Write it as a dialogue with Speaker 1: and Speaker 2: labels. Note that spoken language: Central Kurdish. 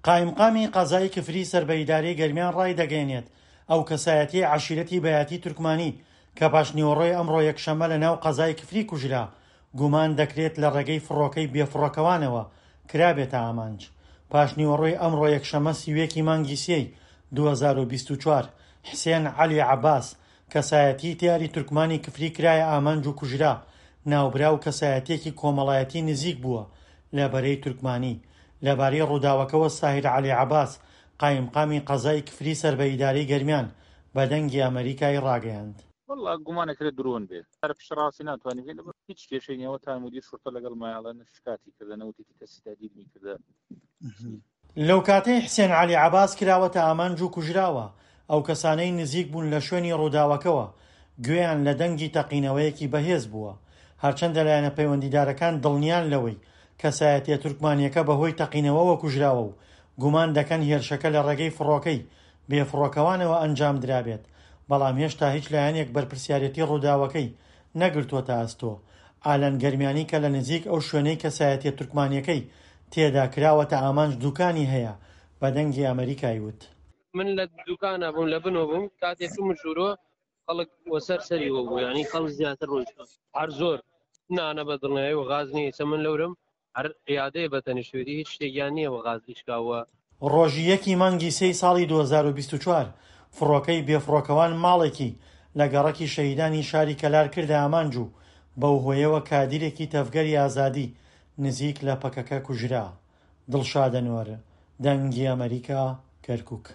Speaker 1: قایمقامی قەزای کفری سەر بە ئیدارەی گەرمیان ڕایدەگەیەنێت، ئەو کەسایەتیەی عەشیرەتی بەیاتی تورکمانی کە پاشنیوەڕۆی ئەمڕۆ یەکشەممە لە ناو قەزای کفری کوژرا، گومان دەکرێت لە ڕێگەی فڕۆکەی بێفڕۆکەوانەوە کرابێتە ئامانج. پاشنیوەڕۆی ئەمڕۆ یەکشەممە 31 ی مانگی سێی 2024، حسێن عەلی عەباس، کەسایەتیی دیاری تورکمانی کفری کرایە ئامانج و کوژرا، ناوبراو کەسایەتییەکی کۆمەڵایەتی نزیک بووە لە بەرەی تورکمانی. لەبارەی ڕووداوەکەوە ساهیر عەلی عەباس، قایمقامی قەزای کفری سەر بە ئیدارەی گەرمیان، بە دەنگی ئەمەریکای ڕاگەیاند.
Speaker 2: وەڵا گومان ئەکرێت درۆن بێت هەر پشتڕاستی ناتوانین بکەین لەبەر هیچ کێشەی نییە وەتا مدیر شورتە لەگەڵ مایەڵە نە شکاتی کردە نە وتیتی کەسی تهدیدمی کردە
Speaker 1: لەوکاتەی حسێن عەلی عەباس کراوەتە ئامانج و کوژراوە، ئەو کەسانەی نزیک بوون لە شوێنی ڕووداوەکەوە گوێیان لە دەنگی تەقینەوەیەکی بەهێز بووە. هەرچەندە لایەنە پەیوەندیدارەکان دڵنیان لەوەی کەسایەتییە تورکمانییەکە بەهۆی تەقینەوەوە کوژراوە و گومان دەکەن هێرشەکە لە ڕێگەی فڕۆکەی بێفڕۆکەوانەوە ئەنجامدرابێت، بەڵام هێشتا هیچ لایەنێک بەرپرسیارێتی ڕووداوەکەی نەگرتووەتە ئەستۆ. ئالان گەرمیانی کە لە نزیک ئەو شوێنەی کەسایەتیە تورکمانیەکەی تێدا کراوەتە ئامانج دوکانی هەیە، بە دەنگی ئەمەریکای وت.
Speaker 3: من لە دوکانا بووم لە بنۆ بووم کاتێ چوومە ژوورۆ خەڵک وەسەر سەری وە بوو یانی خەڵک زیاتر ڕۆیشتوون هەر زۆر نا نە بە دڵنیایی و غاز نییە ئیسە من لەورم هەر عیادەیە بە تەنیشتوێتی هیچ شتێکیان نییە وە غاز ئیش کا وە.
Speaker 1: ڕۆژی یەکی مانگی سێی ساڵی 2024 فڕۆکەی بێفڕۆکەوان ماڵێکی لە گەڕەکی شەهیدانی شاری کەلار کردە ئامانج و بەو هۆیەوە کادیرێکی تەڤگەری ئازادی نزیک لە پەکەکە کوژرا. دڵشاد ئەنوەر، دەنگی ئەمەریکا، کەرکوک.